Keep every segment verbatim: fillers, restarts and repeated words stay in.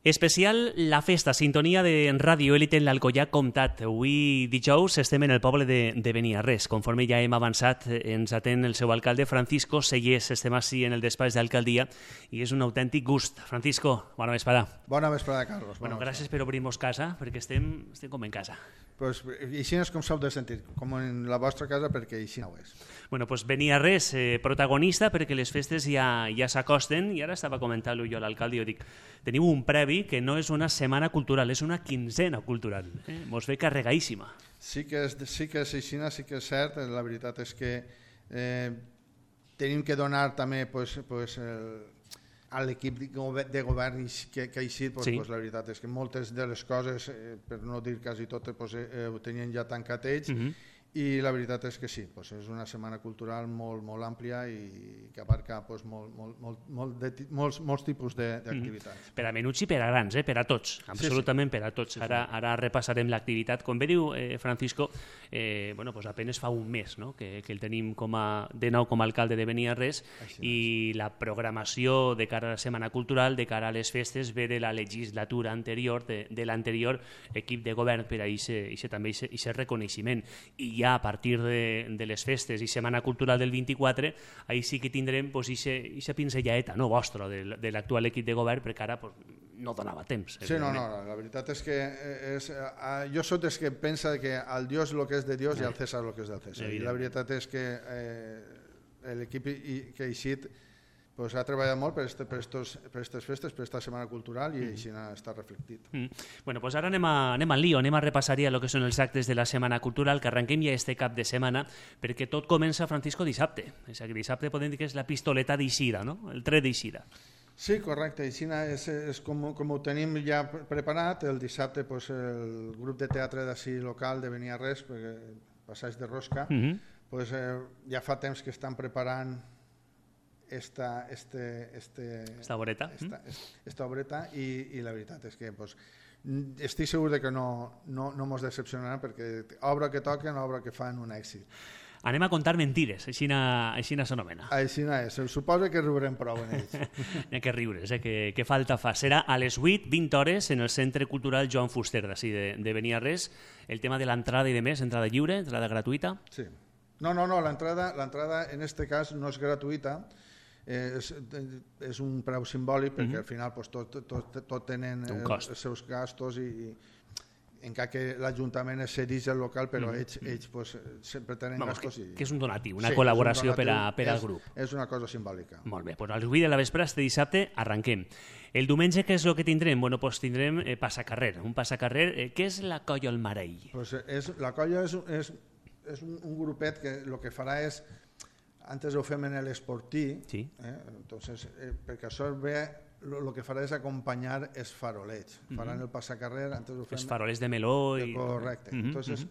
Especial La Festa, sintonia de Ràdio Élite en l'Alcoià Comtat. Avui dijous estem en el poble de, de Beniarrés. Conforme ja hem avançat, ens atén el seu alcalde, Francisco Sellés. Estem així en el despatx d'alcaldia i és un autèntic gust. Francisco, bona vesprada. Bona vesprada, Carlos. Bona bueno, gràcies per obrir-nos casa, perquè estem, estem com en casa. Pues, així és com s'heu de sentir, com en la vostra casa, perquè així no ho és. Bueno, pues Beniarrés, eh, protagonista, perquè les festes ja, ja s'acosten, i ara estava comentant-ho jo a l'alcalde, jo dic, teniu un previ que no és una setmana cultural, és una quinzena cultural. Eh? Mos ve carregadíssima. Sí que és, sí que és així, sí que és cert. La veritat és que eh, tenim que donar també pues, pues, el, a l'equip de govern que, que ha eixit, pues, sí. pues, la veritat és que moltes de les coses, eh, per no dir quasi totes, pues, eh, ho tenien ja tancat ells, uh-huh. i la veritat és que sí, pues és una setmana cultural molt, molt àmplia i que abarca pues, molt, molt, molt, molt de, molts, molts tipus d'activitats. Mm. Per a menuts i per a grans, eh? Per a tots, absolutament sí, sí. per a tots. Sí, sí. Ara, ara repassarem l'activitat. Com bé diu eh, Francisco, eh, bueno, pues apenas fa un mes no? que, que el tenim com a, de nou com a alcalde de Beniarrés i la programació de cara a la setmana cultural, de cara a les festes, ve de la legislatura anterior, de, de l'anterior equip de govern per a aquest també aquest reconeixement. I ja a partir de, de les festes i Setmana Cultural del vint-i-quatre, ahí sí que tindrem pues, aquesta pinzellaeta no, vostra de, de l'actual equip de govern, perquè ara pues, no donava temps. Sí, no, no, la veritat és que és, uh, jo soc dels que pensa que al Dios lo que és de Dios i al César lo que és del César. I la veritat és que eh, l'equip que ha eixit pues ha treballat molt per aquestes per per festes, per aquesta setmana cultural i mm. així està reflectit. Mm. Bueno, pues ara anem, a, anem al lío, anem a repassar ja el que són els actes de la setmana cultural, que arrenquem ja este cap de setmana, perquè tot comença, Francisco, dissabte. És a dir, dissabte podem dir que és la pistoleta d'eixida, no? El tret d'eixida. Sí, correcte. Així és, és com, com ho tenim ja preparat. El dissabte pues, el grup de teatre d'ací local de Beniarrés, perquè Passeig de Rosca, mm-hmm. pues, eh, ja fa temps que estan preparant Esta, este, este, esta obreta, esta, esta obreta i, i la veritat és que pues, estic segur de que no, no, no mos decepcionaran perquè obra que toquen, obra que fan un èxit. Anem a contar mentires, així s'anomena. Així és, suposo que riurem prou en ells. Hi ha que riures, eh? que, que falta fa. Serà a les vuit, vint hores, en el Centre Cultural Joan Fuster, d'ací de, de Beniarrés. El tema de l'entrada i de més, entrada lliure, entrada gratuïta? Sí. No, no, no, l'entrada en este cas no és gratuïta, És, és un preu simbòlic perquè mm-hmm. al final pues, tot, tot, tot tenen els seus gastos i, i encara que l'Ajuntament és cedís el local però mm-hmm. ells, ells pues, sempre tenen Vamos, gastos que, i... que és un donatiu, una sí, col·laboració un donatiu, per, a, per al grup. És, és una cosa simbòlica. Molt bé, doncs al vuit de la vespre este dissabte arrenquem. El diumenge què és el que tindrem? Bueno, pues tindrem eh, passacarrer, un passacarrer. Eh, què és la Colla El Marell? Pues és, la colla és, és, és un, un grupet que el que farà és antes ho fem en l'esportí, sí. eh? Entonces, eh, perquè això ve, el que farà és acompanyar els farolets. Mm-hmm. Faran el passacarrer, antes ho fem... Els farolets de meló i... Correcte. Mm-hmm. Entonces,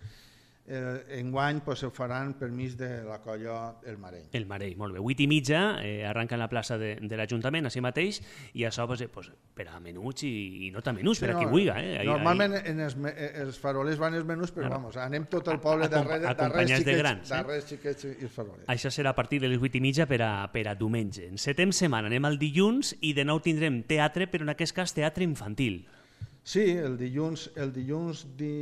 eh, enguany pues, ho faran per mig de la colla El Marell. El Marell, molt bé. Vuit i mitja, eh, arranca en la plaça de, de l'Ajuntament, així mateix, i això pues, pues, per a menuts i, i no tan menuts, sí, per a qui no, vulgui. Eh? Ahí, normalment ahí... en els, els farolers van els menús, però claro. Vamos, anem tot el poble darrere, darrere xiquets, de grans, eh? darrere xiquets i els farolers. Això serà a partir de les vuit i mitja per a, per a diumenge. En setem setmana anem al dilluns i de nou tindrem teatre, però en aquest cas teatre infantil. Sí, el dilluns, el dilluns di...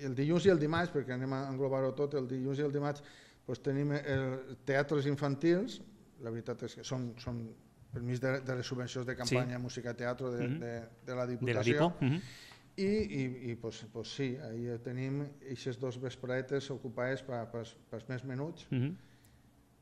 el dilluns i el dimarts, perquè anem a englobar-ho tot, el dilluns i el dimarts pues, tenim el teatres infantils, la veritat és que són, són per mig de, de les subvencions de campanya sí. Música i teatre de, mm-hmm. de, de la Diputació, de la mm-hmm. i, i, i pues, pues, sí, ahí tenim aquestes dos vespretes ocupades per, per, per més menuts. Mm-hmm.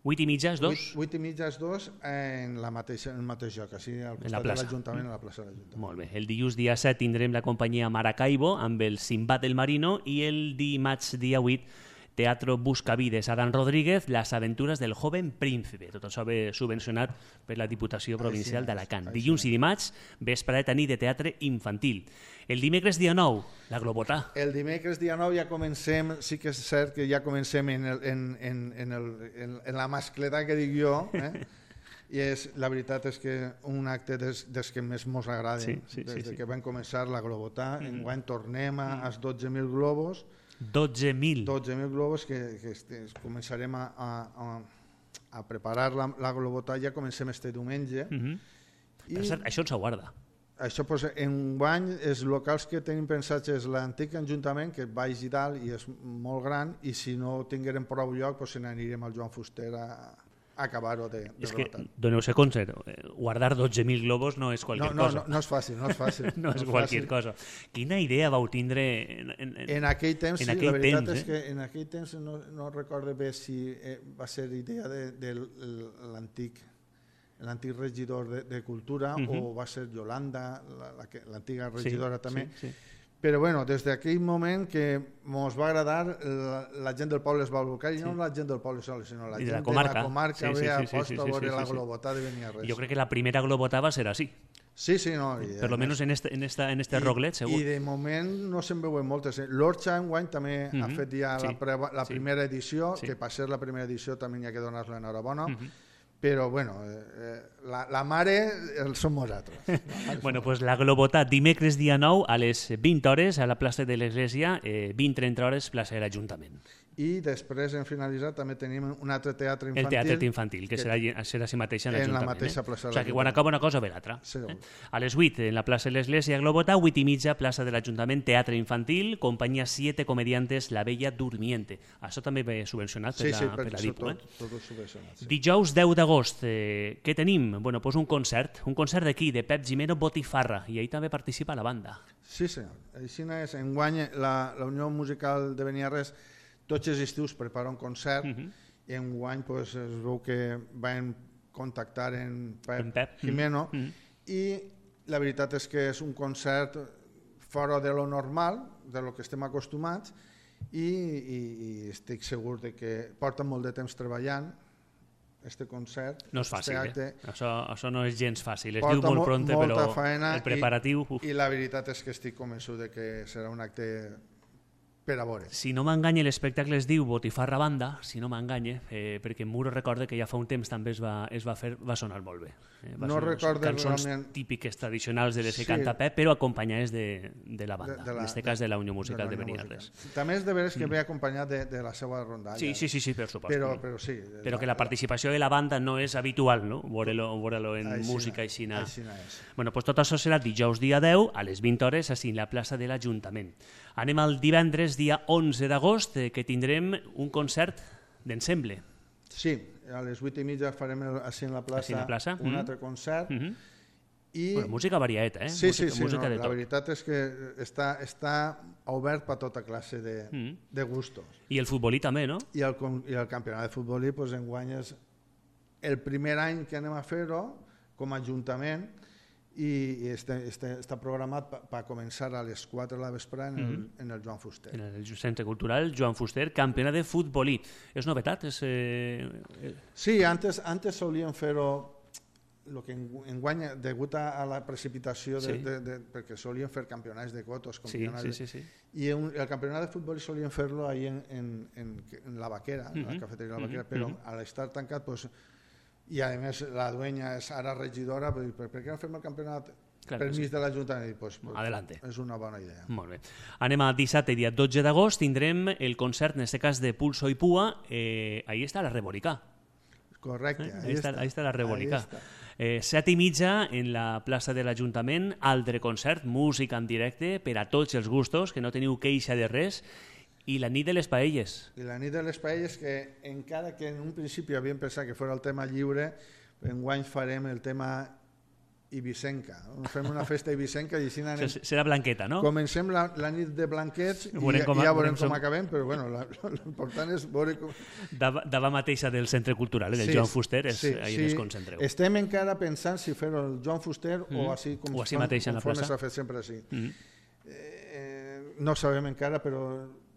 Vuit i mitja és dos? Vuit, vuit i mitja és dos en, la mateixa, en el mateix lloc, així al costat de l'Ajuntament, a la plaça de l'Ajuntament. Molt bé. El dilluns dia set tindrem la companyia Maracaibo amb el Sinbad del Marino i el dimarts dia vuit Teatro Buscavides, Adán Rodríguez, Las aventuras del joven príncipe. Tot això ve subvencionat per la Diputació Provincial d'Alacant. Dilluns i dimarts, vesprada nit de teatre infantil. El dimecres dia nou, la Globotà. El dimecres dia nou ja comencem, sí que és cert que ja comencem en, el, en, en, en, el, en, en la mascleta que dic jo, eh? I és, la veritat és que un acte des, des que més mos agrada, sí, sí, des sí, sí. que vam començar la Globotà, mm. enguany tornem a, als dotze mil globus, dotze mil. dotze mil globus que, que este, començarem a, a, a preparar la, la Globotà, ja comencem este diumenge. Mm-hmm. I... Per cert, això ens aguarda. això, pues, enguany, els locals que tenim pensats és l'antic Ajuntament, que baix i dalt i és molt gran, i si no tinguérem prou lloc, pues, n'anirem al Joan Fuster a, a acabar-ho de, de És que, rematar. doneu-se compte, guardar dotze mil globos no és qualsevol no, no, cosa. No, no és fàcil, no és fàcil. no, no és qualsevol cosa. Quina idea vau tindre en, en, en aquell temps? en sí, aquell la veritat temps, és eh? que en aquell temps no, no recordo bé si eh, va ser idea de, de l'antic l'antic regidor de, de Cultura, uh -huh. o va ser Yolanda, l'antiga regidora sí, també. Sí, sí. Però bueno, des d'aquell moment que ens va agradar, la, la gent del poble es va volcar, i sí. no la gent del poble sol, sinó la I gent de la comarca, de la comarca sí, sí, ve a sí, sí, posta sí, a veure sí, sí, la sí. globotà de Beniarrés. Jo crec que la primera globotà va ser així. Sí, sí, no. I, per lo menos en este, en esta, en este i, roglet, segur. I de moment no se'n veuen moltes. L'Orxa enguany també uh -huh. ha fet ja sí. la, preva, la sí. primera edició, sí. que per ser la primera edició també hi ha que donar-la enhorabona. Uh -huh. Però, bueno, eh, la, la mare el som nosaltres. Bueno, doncs pues la globotà dimecres dia nou a les vint hores a la plaça de l'Església, eh, vint a trenta hores plaça de l'Ajuntament. I després, en finalitzat, també tenim un altre teatre infantil. El teatre infantil, que, que serà, serà si mateixa en l'Ajuntament. En la mateixa plaça eh? O sigui, que quan acaba una cosa ve l'altra. Sí, eh? A les vuit, en la plaça de l'Església Globotà, vuit i mitja, plaça de l'Ajuntament, teatre infantil, companyia Siete Comediantes, La Bella Durmiente. Això també ve subvencionat per, sí, la, sí, per la Dipu. Tot, Eh? tot subvencionat, sí. Dijous deu d'agost, eh, què tenim? Bueno, pues un concert, un concert d'aquí, de Pep Gimeno Botifarra, i ahí també participa la banda. Sí, senyor. Així és, enguany la, la Unió Musical de Beniarrés tots els estius prepara un concert, uh -huh. i enguany pues, es veu que van contactar en Pep, en Pep. Gimeno, uh -huh. i la veritat és que és un concert fora de lo normal, de lo que estem acostumats, i, i, i estic segur de que porta molt de temps treballant este concert. No és fàcil, este eh? Això, això no és gens fàcil. Es porta diu molt pronte, però faena, el preparatiu... I, i la veritat és que estic convençut de que serà un acte per a veure. Si no m'enganya, l'espectacle es diu Botifarra Banda, si no m'enganya, eh, perquè Muro recorda que ja fa un temps també es va, es va fer, va sonar molt bé. Eh, va no recordo cançons realment... típiques tradicionals de les que sí. canta Pep, però acompanyades de, de la banda, de, de la, en aquest cas de la Unió Musical de, de, de Beniarrés. També és de veres que mm. ve acompanyat de, de la seva rondalla. Sí, sí, sí, sí, per supost. Però, però sí. Però que la participació de la banda no és habitual, no? Veure-lo veure en aixina, música aixina. aixina és. Bueno, pues tot això serà dijous dia deu a les vint hores així en la plaça de l'Ajuntament. Anem al divendres dia onze d'agost, eh, que tindrem un concert d'ensemble. Sí, a les vuit i mitja farem el, així en la plaça, en la plaça. un mm. altre concert. Mm -hmm. I... Bueno, música variada, eh? Sí, música, sí, sí, música no, de la tot. veritat és que està, està obert per tota classe de, mm. de gustos. I el futbolí també, no? I el, i el campionat de futbolí, pues, enguany és el primer any que anem a fer-ho com a Ajuntament, i, i este, este, està programat per pa començar a les quatre de la vesprada en, el, mm. en el Joan Fuster. En el Centre Cultural Joan Fuster, campionat de futbolí. És novetat? És, eh... Sí, antes, antes solíem fer-ho, lo que enguany, degut a la precipitació, de, sí. de, de, perquè solíem fer campionats de cotos, sí, sí, sí, sí, sí. i un, el campionat de futbol solíem fer-lo ahí en, en, en, en la Vaquera, uh -huh. la cafeteria de la Vaquera, uh -huh. però uh -huh. al estar tancat, pues, i a més la dueña és ara regidora, per, per, per què no fem el campionat clar, permís sí. de l'Ajuntament? Pues, pues, Adelante. És una bona idea. Molt bé. Anem a dissabte, dia dotze d'agost, tindrem el concert, en aquest cas de Pulso i Pua, eh, ahí està la Reborica. Correcte, eh? ahí, ahí, està, està. ahí està la Reborica. Està. Eh, set i mitja en la plaça de l'Ajuntament, altre concert, música en directe per a tots els gustos, que no teniu queixa de res, i la nit de les paelles. I la nit de les paelles, que encara que en un principi havíem pensat que fos el tema lliure, enguany farem el tema ibicenca. Fem una festa ibicenca i així anem... Serà blanqueta, no? Comencem la, la nit de blanquets i, i ja veurem com acabem, però bueno, l'important és veure com... Davant mateixa del Centre Cultural, del sí, Joan Fuster, és sí, ahí sí. ens concentreu. Estem encara pensant si fer el Joan Fuster mm. o així com, o així mateix en la plaça. S'ha fet sempre així. Mm. Eh, no sabem encara, però...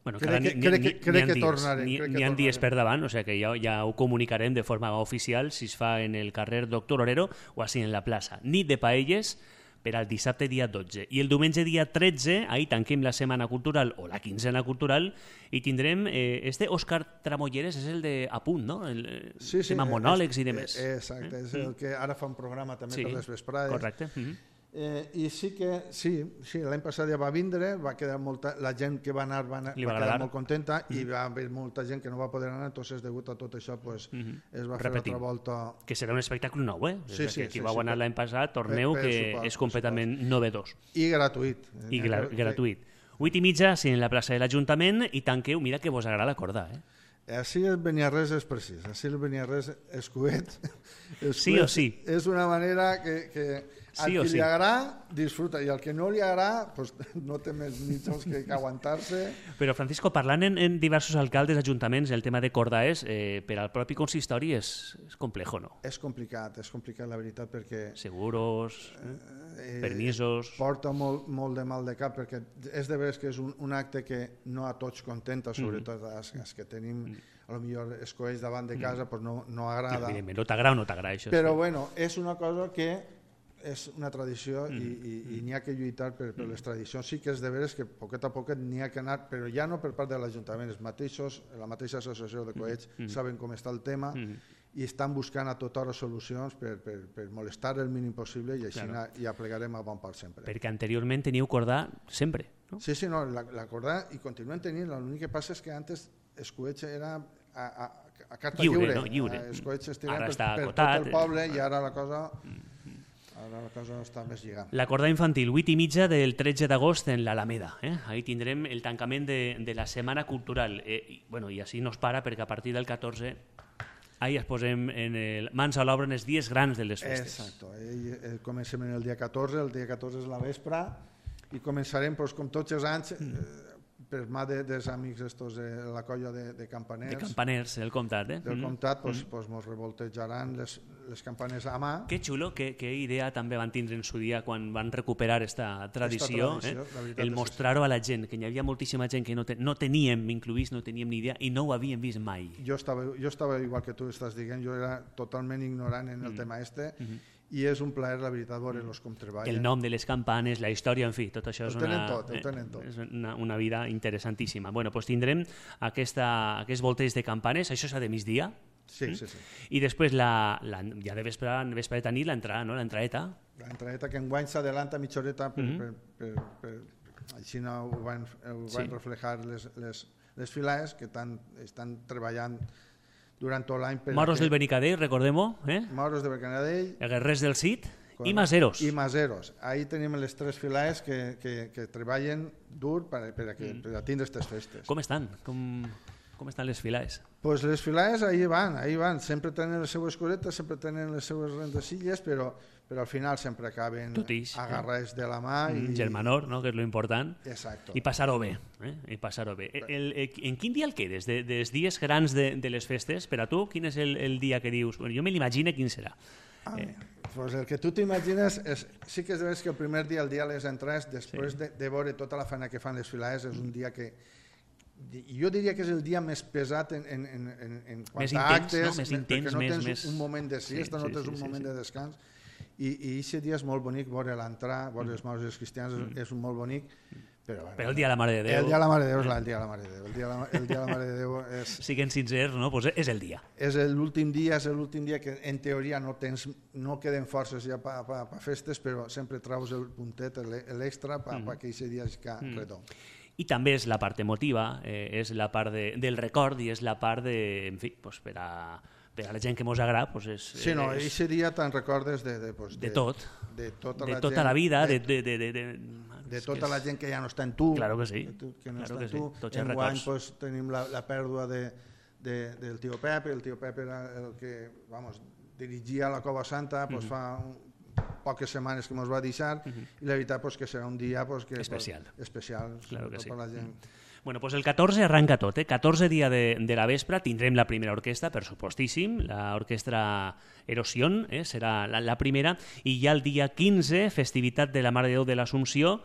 Bueno, crec que, crec que, crec que tornarem. N'hi ha dies per davant, o sigui que ja, ja ho comunicarem de forma oficial si es fa en el carrer Doctor Orero o així en la plaça. Nit de paelles per al dissabte dia dotze. I el diumenge dia tretze, ahir tanquem la setmana cultural o la quinzena cultural i tindrem eh, este Òscar Tramolleres, és el de Apunt, no? El sí, sí, tema monòlegs és, i demés. Exacte, és el que ara fa un programa també sí, per les vesprades. Correcte. Mm -hmm. Eh, I sí que, sí, sí l'any passat ja va vindre, va quedar molta, la gent que va anar va, anar, va quedar molt contenta mm. i va haver molta gent que no va poder anar, entonces degut a tot això pues, mm -hmm. es va Repetim. fer altra volta. Que serà un espectacle nou, eh? Sí, sí, que qui sí, vau sí, anar per, l'any passat, torneu, per, per que suport, és completament novedós. I gratuït. I gra gratuït. Vuit i mitja, sí, en la plaça de l'Ajuntament, i tanqueu, mira que vos agrada acordar, eh? Així el Beniarrés és precís, així el Beniarrés és cuet. Sí o sí. És una manera que, que al sí qui sí. li agrada, disfruta, i al que no li agrada, pues, no té més mitjans que, que aguantar-se. Però, Francisco, parlant en, en diversos alcaldes, ajuntaments, el tema de Cordaes, eh, per al propi consistori és, és complejo, no? És complicat, és complicat, la veritat, perquè... Seguros, eh, permisos... Porta molt, molt de mal de cap, perquè és de veres que és un, un acte que no a tots contenta, sobretot mm. els, els que tenim... Mm. A lo millor escoells davant de casa, mm. pues no, no agrada. Sí, no t'agrada o no t'agrada, això. Però, sí. bueno, és una cosa que és una tradició mm. i, i, i n'hi ha que lluitar per, per les tradicions. Sí que és de veres que poquet a poquet n'hi ha que anar, però ja no per part de l'Ajuntament, els mateixos, la mateixa associació de coets mm. saben com està el tema mm. i estan buscant a tota hora solucions per, per, per molestar el mínim possible i així claro. ja plegarem a bon part sempre. Perquè anteriorment teníeu cordar sempre, no? Sí, sí, no, la, la cordar i continuem tenint, l'únic que passa és que antes els coets era a, a, a carta lliure, lliure, no? lliure. Els coets es tiren per, per tot el poble i ara la cosa... Ara la cosa està més lligada. La corda infantil, vuit i mitja del tretze d'agost en l'Alameda. Eh? Ahí tindrem el tancament de, de la Setmana Cultural. Eh, i, bueno, I així no es para perquè a partir del catorze ahí es posem en el, mans a l'obra en els dies grans de les festes. Exacto. Eh, eh, comencem el dia catorze, el dia catorze és la vespre i començarem, pues, com tots els anys, eh, per mà de, dels amics estos de la colla de, de campaners. De campaners del comtat, eh? Del comtat, pues, mm. pues mos revoltejaran les, les campanes a mà. Que xulo, que, que idea també van tindre en su dia quan van recuperar esta tradició, esta tradició eh? El mostrar-ho a la gent, que hi havia moltíssima gent que no, te, no teníem incluïts, no teníem ni idea i no ho havíem vist mai. Jo estava, jo estava igual que tu estàs dient, jo era totalment ignorant en el mm. tema este, mm -hmm. i és un plaer, la veritat, veure-los com treballen. El nom de les campanes, la història, en fi, tot això és, una, tot, tot. és una, una vida interessantíssima. Bueno, doncs tindrem aquesta, aquests volteig de campanes, això serà de migdia. Sí, mm? sí, sí. I després, la, la, ja de vespre, vespre de tenir l'entrada, no? L'entraeta. L'entraeta que enguany s'adelanta mitja horeta, per, mm -hmm. per, per, per, per, així no ho van, ho van sí. reflejar les, les, les files que tan, estan treballant durant tot l'any. Moros del Benicadell, recordem-ho. Eh? Moros del Benicadell. Guerrers del Cid i Maseros. I Maseros. Ahí tenim les tres files que, que, que treballen dur per, per, a, que, mm. per a tindre aquestes festes. Com estan? Com, com estan les files? Pues les files ahí van, ahí van. Sempre tenen les seues coretes, sempre tenen les seues rendesilles, però, però al final sempre acaben agarrats eh? de la mà. I... Germanor, no? Que és lo important. Exacto. I passar-ho bé. Eh? I passar-ho bé. El, el, en quin dia el quedes? De, dels dies grans de, de les festes, per a tu, quin és el, el dia que dius? Bueno, jo me l'imagino quin serà. Ah, eh. Pues el que tu t'imagines és, sí que és de que el primer dia, el dia de les entrades, després sí. de, de veure tota la feina que fan les files, és un dia que jo diria que és el dia més pesat en, en, en, en quant més a intens, actes, no? Més intens, perquè no més, tens més... un moment de siesta, sí, sí, no tens sí, un moment sí, sí. de descans, i aquest dia és molt bonic veure l'entrar, veure mm. els maus i els cristians, mm. és un molt bonic, però, bueno, però el dia de la Mare de Déu... El dia de la Mare de Déu és el dia de la Mare de Déu. El dia de la, el dia de la Mare de Déu és... Siguem sincers, no? Pues és el dia. És l'últim dia, és l'últim dia que en teoria no tens, no queden forces ja per pa, pa festes, però sempre traus el puntet, l'extra, perquè mm. aquest dia es ca mm. redó. I també és la part emotiva, eh, és la part de, del record i és la part de, en fi, pues per a... per a la gent que mos agrada, pues és... Sí, no, és... ese dia te'n recordes de... De, pues, de, de tot. De tota, de la, tota gent, la vida, de... De, de, de, de, de tota la gent que ja no està en tu. Claro que sí. Tu, que no claro està que en tu. Sí. Tots els Enguany records. pues, tenim la, la pèrdua de, de, del tio Pep, el tio Pep era el que, vamos, dirigia la Cova Santa, pues, mm -hmm. fa un, poques setmanes que ens va deixar, mm -hmm. i la veritat pues, que serà un dia pues, que, especial. Pues, especial claro que sí. per la gent. Mm. Bueno, pues el catorze arranca tot, eh? catorze dia de, de la vespre, tindrem la primera orquestra, per supostíssim, l'orquestra Erosió, eh? serà la, la primera, i ja el dia quinze, festivitat de la Mare de Déu de l'Assumpció.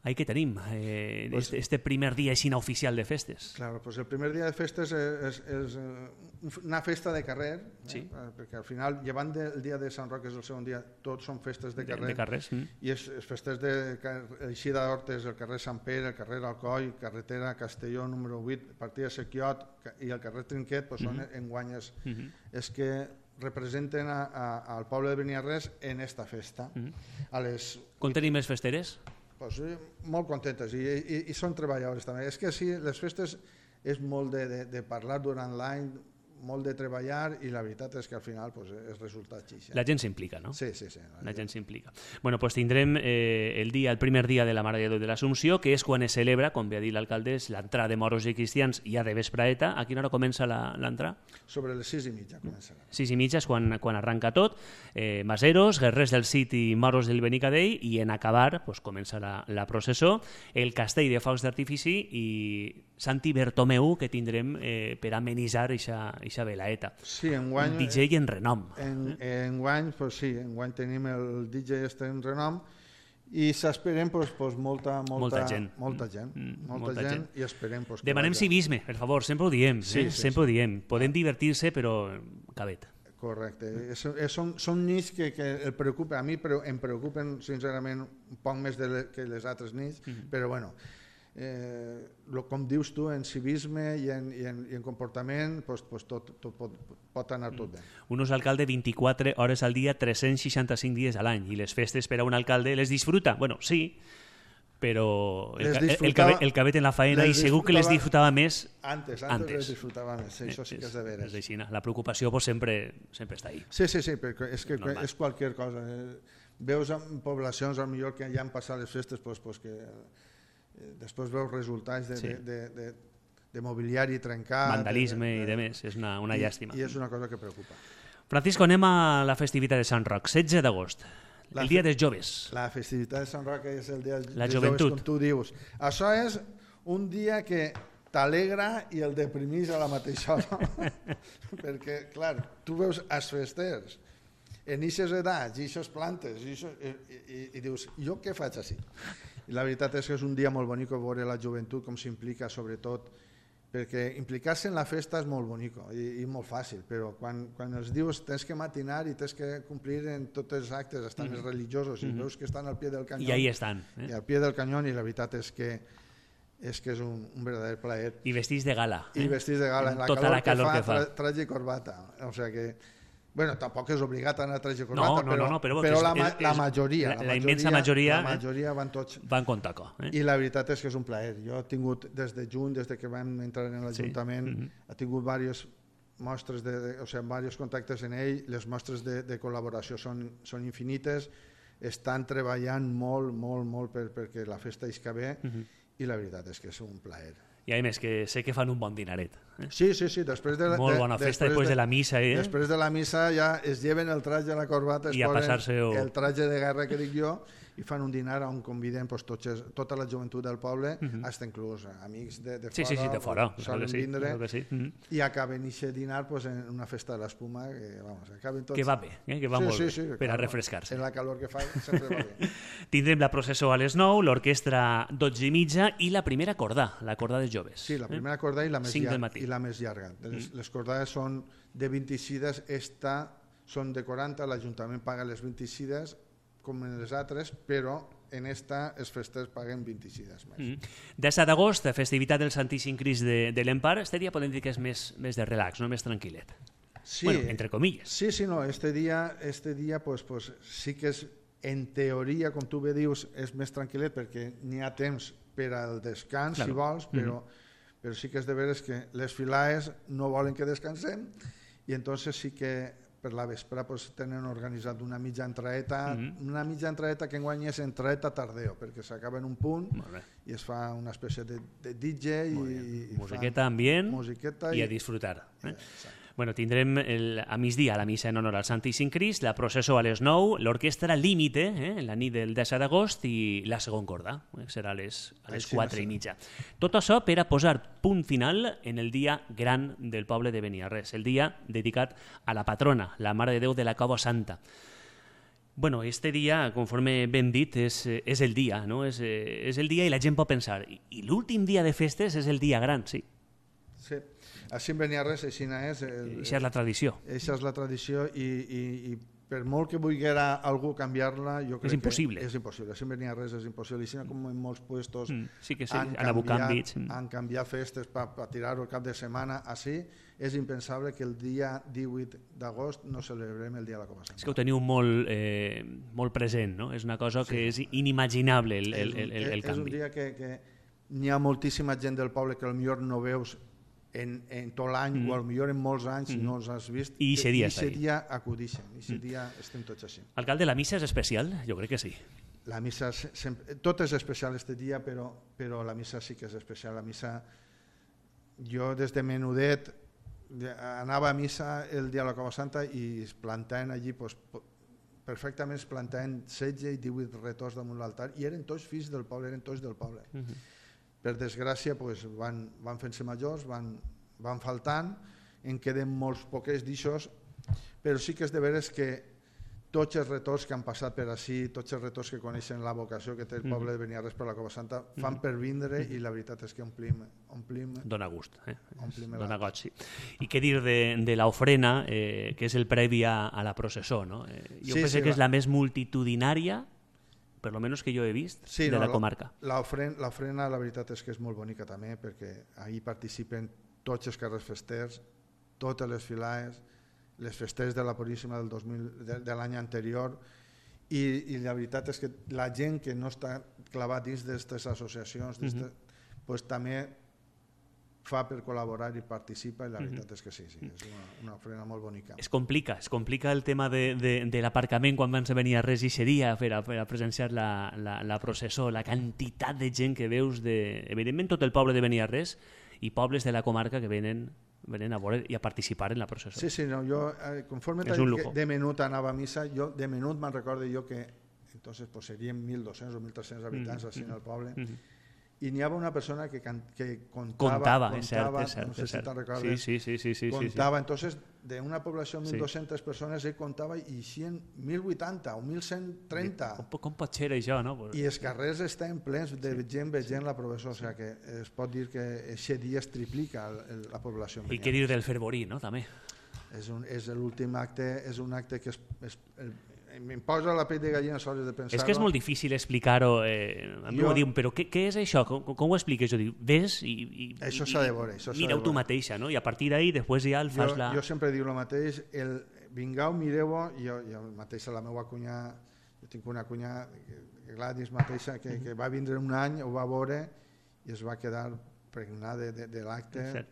Ahí que tenim, eh, pues, este, este primer dia així oficial de festes. Claro, pues el primer dia de festes és, és, és una festa de carrer, sí. eh? perquè al final, llevant del dia de Sant Roc, que és el segon dia, tots són festes de carrer, de, de carrers, mm. i és, és festes de Eixida d'Hortes, el carrer Sant Pere, el carrer Alcoi, carretera Castelló número vuit, partida Sequiot i el carrer Trinquet, pues, són mm -hmm. enguanyes. Mm -hmm. És que representen a, a, al poble de Beniarrés en esta festa. Mm-hmm. A les... Com tenim les festeres? Pues, molt contentes i, i, i són treballadores també. És que sí, les festes és molt de, de, de parlar durant l'any, molt de treballar i la veritat és que al final pues, és resultat xix. La gent s'implica, no? Sí, sí, sí. La, la gent s'implica. Bueno, pues tindrem eh, el dia, el primer dia de la Mare de Déu de l'Assumpció, que és quan es celebra, com bé ha dit l'alcalde, l'entrada de moros i cristians ja de vespraeta. A quina hora comença l'entrada? Sobre les sis i mitja començarà. Sis i mitja és quan, quan arranca tot. Eh, Maseros, guerrers del Cid i moros del Benicadell, i en acabar pues, comença la, la processó, el castell de focs d'artifici i Santi Bertomeu, que tindrem eh, per amenitzar eixa velaeta. Sí, enguany... Un D J en renom. En, enguany, pues sí, enguany tenim el D J este en renom i s'esperen pues, pues, molta, molta, molta gent. Molta gent, mm, molta molta gent, gent i esperem... Pues, Demanem vagi. civisme, per favor, sempre ho diem. Sí, eh? sí, sempre sí. ho diem. Podem divertir-se, però cabet. Correcte. És, és, són, són nits que, que el preocupa. A mi em preocupen, sincerament, un poc més de le, que les altres nits, mm-hmm. però bueno... Eh, lo, com dius tu, en civisme i en, i en, i en comportament pues, pues tot, tot pot, pot anar tot bé. Un és alcalde vint-i-quatre hores al dia, tres-cents seixanta-cinc dies a l'any, i les festes per a un alcalde les disfruta. Bueno, sí, però el, el, el, cabet, el cabet en la faena i segur que les disfrutava més antes. Antes, antes. les disfrutava més, sí, això sí que és de veres. És així, la preocupació pues, sempre, sempre està ahí. Sí, sí, sí, perquè és que normal. És qualsevol cosa. Veus en poblacions, al millor que ja han passat les festes, pues, pues que... després veus resultats de, sí. de, de, de, de mobiliari trencat, vandalisme de, de, i de més, és una, una i, llàstima. I és una cosa que preocupa. Francisco, anem a la festivitat de Sant Roc, setze d'agost, el dia dels joves. La festivitat de Sant Roc és el dia la dels joventut. joves, com tu dius. Això és un dia que t'alegra i el deprimís a la mateixa hora. Perquè, clar, tu veus els festers en aquestes edats, i aquestes plantes, i, ixos, i, i, i dius, jo què faig així? I la veritat és que és un dia molt bonic veure la joventut com s'implica, sobretot, perquè implicar-se en la festa és molt bonic i, i molt fàcil, però quan, quan els dius tens que matinar i tens que complir en tots els actes, estan mm-hmm. més religiosos, i mm-hmm. veus que estan al pie del canyón. I ahí estan. Eh? I al pie del canyón, i la veritat és que és que és un, un verdader plaer. I vestits de gala. Eh? I vestits de gala, en la tota calor, la calor que fa. Que fa. Traje i corbata. O sigui que... Bueno, tampoc és obligat a anar a traje corbata, no, no, però, no, no, però, però és, la, és, la majoria, la, la, la majoria, immensa majoria, la majoria van tots. Van con taco. Eh? I la veritat és que és un plaer. Jo he tingut des de juny, des de que vam entrar en l'Ajuntament, sí. mm-hmm. he tingut diverses mostres, de, de, o sigui, diversos contactes en ell, les mostres de, de col·laboració són, són infinites, estan treballant molt, molt, molt per, perquè la festa isca bé, mm-hmm. i la veritat és que és un plaer. I a més que sé que fan un bon dinaret. Eh? Sí, sí, sí. Després de la, molt bona festa, després de, de la missa. Eh? Després de la missa ja es lleven el traje a la corbata, es I a posen o... el traje de guerra que dic jo, i fan un dinar on conviden pues, tots, tota la joventut del poble, uh-huh. fins inclús amics de, de sí, fora, sí, sí, de fora. solen sí, vindre, que sí. uh-huh. i acaben aquest dinar pues, en una festa de l'espuma que, vamos, acaben tots... que va bé, eh? que va sí, molt sí, bé, sí, per clar, a refrescar-se. En la calor que fa sempre va bé. Tindrem la processó a les nou, l'orquestra dotze i mitja i la primera cordà, la cordà dels joves. Sí, la primera cordà i la més, llarga, i la més llarga. Les, mm. les cordades són de vint-i-sis, esta són de quaranta, l'Ajuntament paga les vint-i-sis com en les altres, però en esta els festers paguen vint-i-sis més. Mm. disset d'agost, festivitat del Santíssim Crist de, de l'Empar, este dia podem dir que és més, més de relax, no més tranquil·let. Sí, bueno, entre comilles. Sí, sí, no, este dia, este dia pues, pues, sí que és, en teoria, com tu bé dius, és més tranquil·let perquè n'hi ha temps per al descans, claro. si vols, però, mm-hmm. però sí que és de veres que les filaes no volen que descansem i entonces sí que per la vespre pues, tenen organitzat una mitja entraeta, mm-hmm. una mitja entraeta que enguany és entraeta tardeo, perquè s'acaba en un punt i es fa una espècie de, de D J i, i musiqueta ambient musiqueta i, i a disfrutar. Eh? Bueno, tindrem el, a migdia la missa en honor al Santíssim Crist, la processó a les nou, l'orquestra Límite, eh, la nit del disset d'agost, i la segon corda, eh, serà a les, a les quatre i mitja. Tot això per a posar punt final en el dia gran del poble de Beniarrés, el dia dedicat a la patrona, la Mare de Déu de la Cova Santa. Bueno, este dia, conforme ben dit, és, és el dia, no? És, és el dia i la gent pot pensar, i, i l'últim dia de festes és el dia gran, sí. Sí, així en Beniarrés, així és. El, Eixa és la tradició. Eixa és la tradició i, i, i per molt que volguera algú canviar-la, jo crec és impossible. que és impossible. Si venia res és impossible. I si no, com en molts puestos mm, sí que sí, han, han abocat canviat, han canviat festes per pa tirar-ho el cap de setmana així, és impensable que el dia divuit d'agost no celebrem el dia de la Copa Santa. És que ho teniu molt, eh, molt present, no? És una cosa que sí. és inimaginable el, el, el, el, el és, canvi. És un dia que, que n'hi ha moltíssima gent del poble que potser no veus en, en tot l'any mm. o potser en molts anys mm. no els has vist i aquest dia, dia acudixen, i aquest mm. dia estem tots així. Alcalde, la missa és especial? Jo crec que sí. La missa, sempre, tot és especial este dia, però, però la missa sí que és especial. La missa, jo des de menudet anava a missa el dia de la Copa Santa i es plantaven allí, pues, perfectament es plantaven setze i divuit retors damunt l'altar i eren tots fills del poble, eren tots del poble. Uh -huh. Per desgràcia pues, van, van fent-se majors, van, van faltant, en queden molts poquets d'aixòs, però sí que és de veres que tots els retors que han passat per ací, tots els retors que coneixen la vocació que té el poble de Beniarrés per la Copa Santa, fan per vindre i la veritat és que omplim... omplim Dóna gust, eh? Omplim Dóna goig, sí. I què dir de, de l'ofrena, eh, que és el previ a, a la processó, no? Eh, jo sí, penso sí, que va. És la més multitudinària, per lo menos que jo he vist, sí, de no, la comarca. L'ofrena, la veritat és que és molt bonica també, perquè ahir participen tots els carrers festers, totes les filades, les festes de la Puríssima del dos mil, de, de l'any anterior, i, i la veritat és que la gent que no està clavat dins d'aquestes associacions uh -huh. pues, també fa per col·laborar i participa, i la veritat uh -huh. és que sí, sí, és una, una ofrena molt bonica. Es complica, es complica el tema de, de, de l'aparcament quan van venir a res i seria per a, per a presenciar la, la, la processó, la quantitat de gent que veus, de, evidentment tot el poble de Beniarrés i pobles de la comarca que venen venen a veure i a participar en la processó. Sí, sí, no, jo, eh, conforme de menut anava a missa, jo de menut me'n recordo jo que entonces pues, serien mil dos-cents o mil tres-cents habitants mm -hmm. així en el poble, mm -hmm. i n'hi havia una persona que, can, que contava, contava, contava és cert, és cert, no sé és cert. si te'n recordes, sí, sí, sí, sí, contava, sí, sí. entonces de una població de mil dos-centes sí. persones ell contava i eixien mil vuitanta o mil cent trenta. Com, com pot ser això, no? I els carrers estan plens de sí. gent veient sí. la processó, o sigui que es pot dir que aquest dia es triplica el, el, la població. I què dir del fervorí, no? També. És, un, és l'últim acte, és un acte que és, és el, em posa la pell de gallina sols de pensar-ho. És que és molt difícil explicar-ho. Eh, a mi jo... m'ho diuen, però què, què és això? Com, com ho expliques? Jo dic, ves i, i, això s'ha de veure. Mireu tu mateixa, no? I a partir d'ahir després ja el fas jo, la... Jo sempre dic el mateix, el, vingueu, mireu-ho, jo, jo mateixa la meva cunyà, jo tinc una cunyà, Gladys mateixa, que, que va vindre un any, ho va veure i es va quedar pregnada de, de, de l'acte,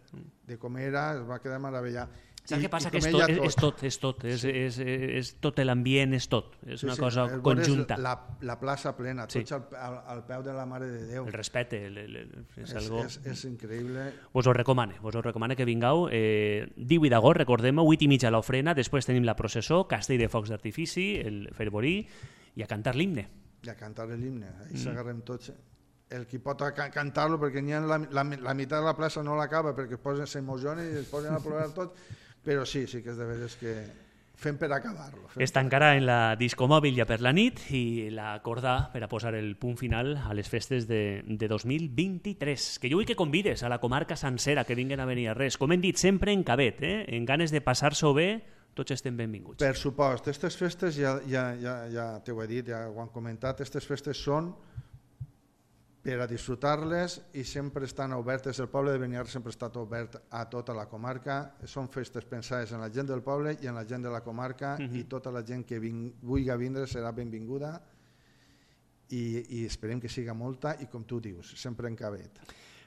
de com era, es va quedar meravellat. Saps què passa? Que és tot, és tot, és tot, és, sí. és, és, és tot l'ambient, és tot, és sí, una sí, cosa conjunta. La, la plaça plena, tots sí. al, al, al peu de la Mare de Déu. El respecte, el, el, el, és, és, algo... és, és increïble. Vos ho recomane, vos ho recomane que vingueu. Eh, divuit d'agost, recordem-ho, vuit i mitja a l'ofrena, després tenim la processó, castell de focs d'artifici, el fervorí, i a cantar l'himne. I a cantar l'himne, ahí mm. s'agarrem tots. El que pot cantar-lo, perquè n'hi ha la, la, la meitat de la plaça no l'acaba, perquè s'emocionen i es posen a plorar tot. Però sí, sí que és de veres que fem per acabar-lo. Es tancarà en la discomòbil ja per la nit i la corda per a posar el punt final a les festes de, de dos mil vint-i-tres. Que jo vull que convides a la comarca sencera que vinguen a Beniarrés. Com hem dit sempre en cabet, eh? En ganes de passar-s'ho bé, tots estem benvinguts. Per supost, aquestes festes, ja, ja, ja, ja t'ho he dit, ja ho han comentat, aquestes festes són per a disfrutar-les i sempre estan obertes. El poble de Beniarrés sempre ha estat obert a tota la comarca. Són festes pensades en la gent del poble i en la gent de la comarca, uh-huh. i tota la gent que ving, vulgui vindre serà benvinguda i, i esperem que siga molta i, com tu dius, sempre en cabet.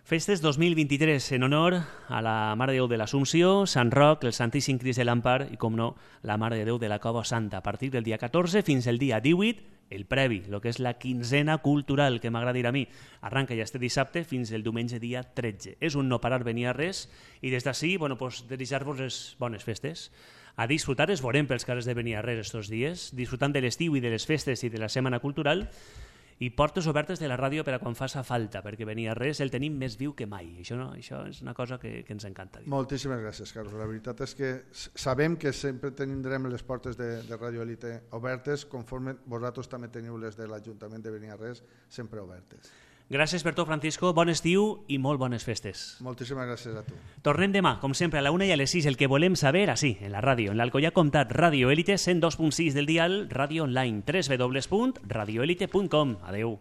Festes dos mil vint-i-tres en honor a la Mare de Déu de l'Assumpció, Sant Roc, el Santíssim Crist de l'Empar i, com no, la Mare de Déu de la Cova Santa. A partir del dia catorze fins al dia divuit, el previ, el que és la quinzena cultural, que m'agrada dir a mi, arranca ja este dissabte fins el diumenge dia tretze. És un no parar Beniarrés i des d'ací, bueno, pues, desitjar-vos les bones festes. A disfrutar es veurem pels carrers de Beniarrés estos dies, disfrutant de l'estiu i de les festes i de la setmana cultural, i portes obertes de la ràdio per a quan faça falta, perquè Beniarrés el tenim més viu que mai. Això, no, això és una cosa que, que ens encanta dir. Moltíssimes gràcies, Carlos. La veritat és que sabem que sempre tindrem les portes de, de Radio Elite obertes, conforme vosaltres també teniu les de l'Ajuntament de Beniarrés sempre obertes. Gràcies per tot, Francisco. Bon estiu i molt bones festes. Moltíssimes gràcies a tu. Tornem demà, com sempre, a la una i a les sis, el que volem saber, així, en la ràdio, en l'Alcoià Comtat, Ràdio Élite, cent dos punt sis del dial, ràdio online, w w w punt radioelite punt com. Adeu.